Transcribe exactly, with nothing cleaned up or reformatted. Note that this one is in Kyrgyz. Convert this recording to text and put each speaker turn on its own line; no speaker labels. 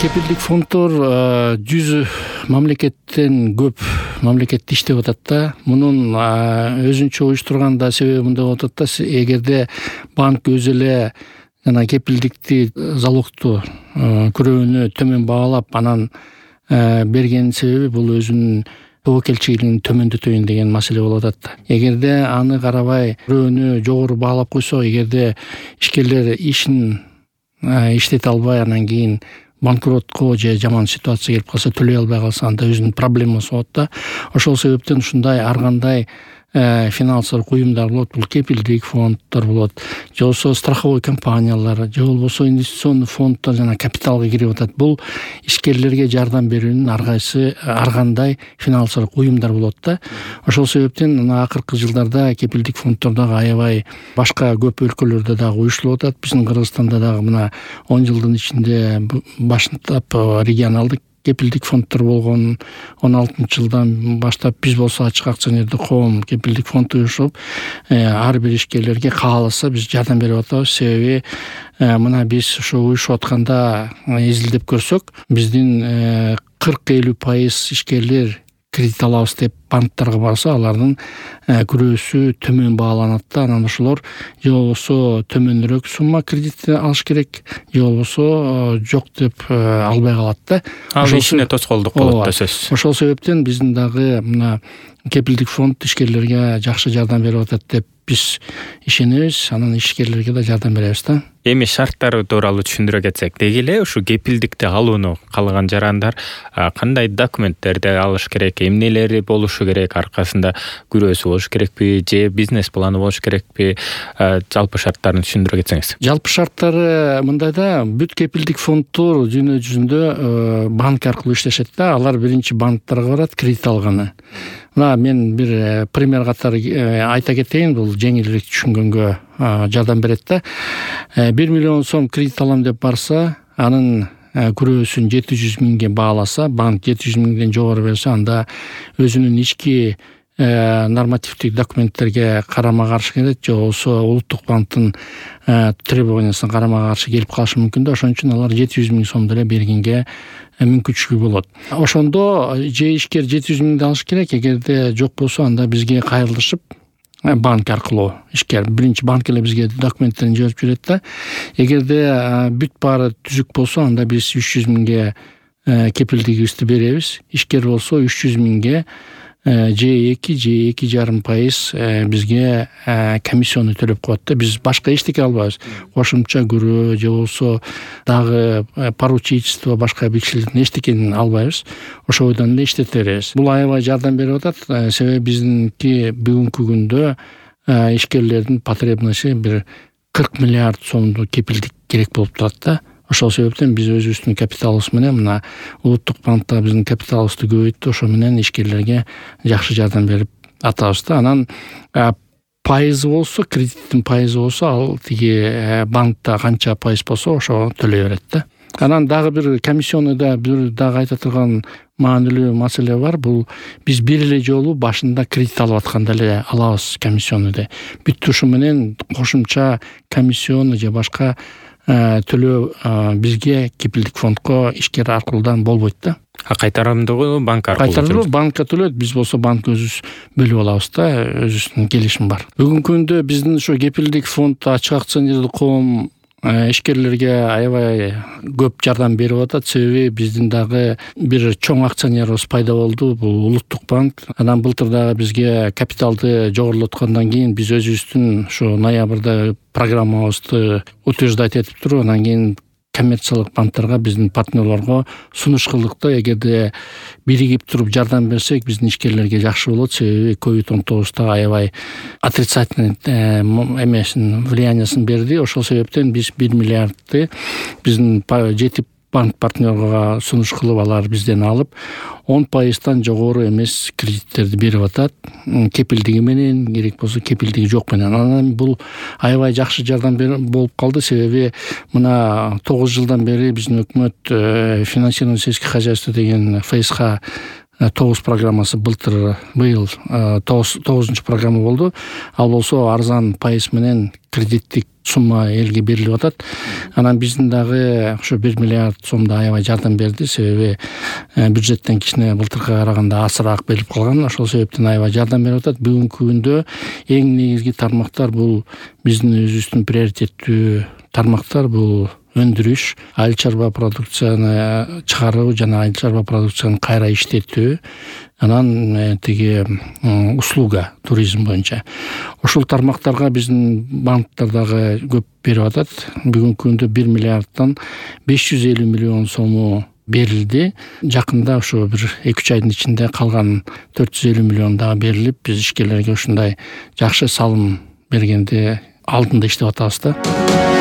кепилдик фонддор жүз мамлекеттен көп мамлекетте иштеп атат да. Мунун өзүнчө уюштурганда себеби мындай болуп атат да. Эгерде банк өзү эле жана кепилдикти залогту күрөөнү төмөн баалап анан берген себеби бул өзүнүн тобокелчилигин төмөндөтөйүн деген маселе болуп атат. Эгерде аны карабай күрөөнү жогору баалап койсо, эгерде ишкерлер ишин иштете албай анан кийин банкротко же жаман ситуация келип калса, төлөй албай калса, анда өзүнүн проблемасы болот да. Ошол себептен ушундай ар кандай финансылык уюмдар болот, бул кепилдик фонддор болот, же болбосо страховой компаниялар, же болбосо инвестиционный фонддор жана капиталга кирип атат. Бул ишкерлерге жардам берүүнүн ар кайсы ар кандай финансылык уюмдар болот да. Ошол себептен мына акыркы жылдарда кепилдик фонддор дагы аябай башка көп өлкөлөрдө дагы уюштурулуп атат. Биздин Кыргызстанда дагы мына он жылдын ичинде баштап регионалдык кепилдик фонддор болгон. он алтынчы жылдан баштап биз болсо ачык акционердик коом кепилдик фонд уюшуп, ар бир ишкерлерге кааласа биз жардам берип атабыз. Себеби мына биз ошо уюшуп атканда изилдеп көрсөк, биздин кырк элүү пайыз ишкерлер кредит алабыз деп банктарга барса, алардын күрөөсү төмөн бааланат да. Анан ошолор же болбосо төмөнүрөөк сумма кредит алыш керек, же болбосо жок деп албай калат да.
Ал ишине тоскоолдук болот да сөзсүз.
Ошол себептен биздин дагы мына кепилдик фонд ишкерлерге жакшы жардам берип атат деп биз ишенебиз. Анан ишкерлерге да жардам беребиз да.
Эми шарттары тууралуу түшүндүрө кетсек, деги эле ушу кепилдикти алууну каалаган жарандар кандай документтерди алыш керек, эмнелери болушу керек, аркасында күрөөсү болуш керекпи, же бизнес планы болуш керекпи? Жалпы шарттарын түшүндүрө кетсеңиз.
Жалпы шарттары мындай да, бүт кепилдик фонддор дүйнө жүзүндө банк аркылуу иштешет да. Алар биринчи банктарга барат кредит алганы. Мына мен бир пример катары айта кетейин, бул жеңилирээк түшүнгөнгө жардам берет да. бир миллион сом кредит алам деп барса, анын күрөөсүн жети жүз миңге бааласа, банк жети жүз миңден жогору берсе, анда өзүнүн ички нормативдик документтерге карама каршы келет, же болбосо улуттук банктын требованиясына карама каршы келип калышы мүмкүн да. Ошон үчүн алар жети жүз миң сом деле бергенге мүмкүнчүлүгү болот. Ошондо же ишкер жети жүз миңди алыш керек, эгерде жок болсо анда бизге кайрылышып банк аркылуу ишкер биринчи банк эле бизге документтерин жиберип жүрөт да. Эгерде бүт баары түзүк болсо, анда биз үч жүз миңге кепилдигибизди беребиз. Ишкер болсо үч жүз миңге же эки же эки жарым пайыз бизге комиссиону төлөп коет да. Биз башка эчтеке албайбыз. Кошумча күрөө же болсо дагы поручительство, башка бекчиликтин эчтекени албайбыз. Ошойдон эле иштете беребиз. Бул аябай жардам берип атат. Себеби биздинки бүгүнкү күндө ишкерлердин потребности бир кырк миллиард сомдуу кепилдик керек болуп турат да. Ошол себептен биз өзүбүздүн капиталыбыз менен мына улуттук банкта биздин капиталыбызды көбөйттү. Ошо менен ишкерлерге жакшы жардам берип атабыз да. Анан пайызы болсо, кредиттин пайызы болсо, ал тиги банкта канча пайыз болсо ошо төлөй берет да. Анан дагы бир комиссионда бир дагы айта турган маанилүү маселе бар. Бул биз бир эле жолу башында кредит алып атканда эле алабыз комиссионду. Бүт ушу менен кошумча комиссиону же башка төлөө бизге кепилдик фондко ишкер аркылуудан болбойт да.
А кайтарымдуу банк аркылуу?
Кайтарымдуу банкка төлөйт. Биз болсо банк өзүбүз бөлүп алабыз да, өзүбүздүн келишим бар. Бүгүнкү күндө биздин ушу кепилдик фонд ачык акционердик коом ишкерлерге аябай көп жардам берип атат. Себеби биздин дагы бир чоң акционерибиз пайда болду, бул улуттук банк. Анан былтыр дагы бизге капиталды жогорулаткандан кийин биз өзүбүздүн ушу ноябрда программабызды утверждать этип туруп, анан кийин коммерциялык банктарга, биздин партнерлорго сунуш кылдык да. Эгерде биригип туруп жардам берсек, биздин ишкерлерге жакшы болот. Себеби ковид он тогузда аябай отрицательный эмесин влияниясын берди. Ошол себептен биз бир миллиардты биздин жети банк партнерга сунуш кылып, алар бизден алып, он пайыздан жогору эмес кредиттерди берип атат. Кепилдиги менен, керек болсо кепилдиги жок менен. Анан бул аябай жакшы жардам болуп калды. Себеби мына тогуз жылдан бери биздин өкмөт финансирование сельских хозяйств деген эф эс ка тогуз программасы былтыр быйыл тогузунчу программа болду. Ал болсо арзан пайыз менен кредиттик сумма элге берилип атат. Анан биздин дагы ошо бир миллиард сомдой аябай жардам берди, себеби бюджеттен кичине былтыркыга караганда азыраак берилип калган. Ошол себептен аябай жардам берип атат. Бүгүнкү күндө эң негизги тармактар бул биздин өзүбүздүн приоритеттүү тармактар, бул өндүрүш, айыл чарба продукцияны чыгаруу жана айыл чарба продукцияны кайра иштетүү, анан тиги услуга, туризм боюнча. Ушул тармактарга биздин банктар дагы көп берип атат. Бүгүнкү күндө бир миллиарддан беш жүз элүү миллион сому берилди. Жакында ошо бир эки үч айдын ичинде калган төрт жүз элүү миллион дагы берилип, биз ишкерлерге ушундай жакшы салым бергенди алдында иштеп атабыз да.